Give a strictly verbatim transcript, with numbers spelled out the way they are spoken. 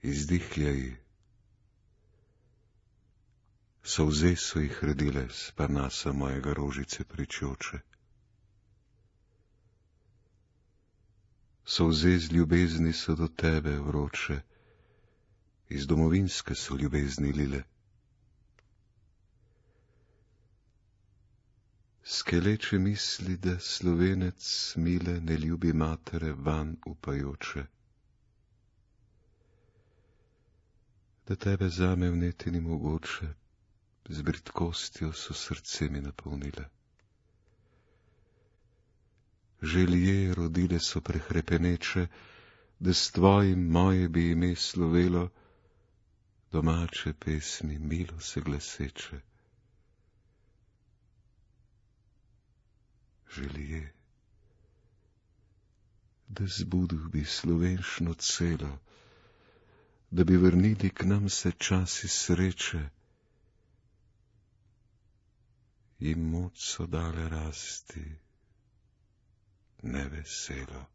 Izdihljaj. Solze so jih redile s parnasa mojega rožice pričoče. Solze z ljubezni so do tebe vroče, iz domovinske so ljubezni lile. Skeleče misli, da Slovenec mile ne ljubi matere van upajoče, da tebe zame vneti ni mogoče, z bridkostjo so srce mi napolnile. Želje rodile so prehrepeneče, da s tvojim moje bi ime slovelo, domače pesmi milo se glaseče. Želje, da zbudil bi slovenščino celo, da bi vrnili k nam se časi sreče, jim moč so dale rasti neveselo.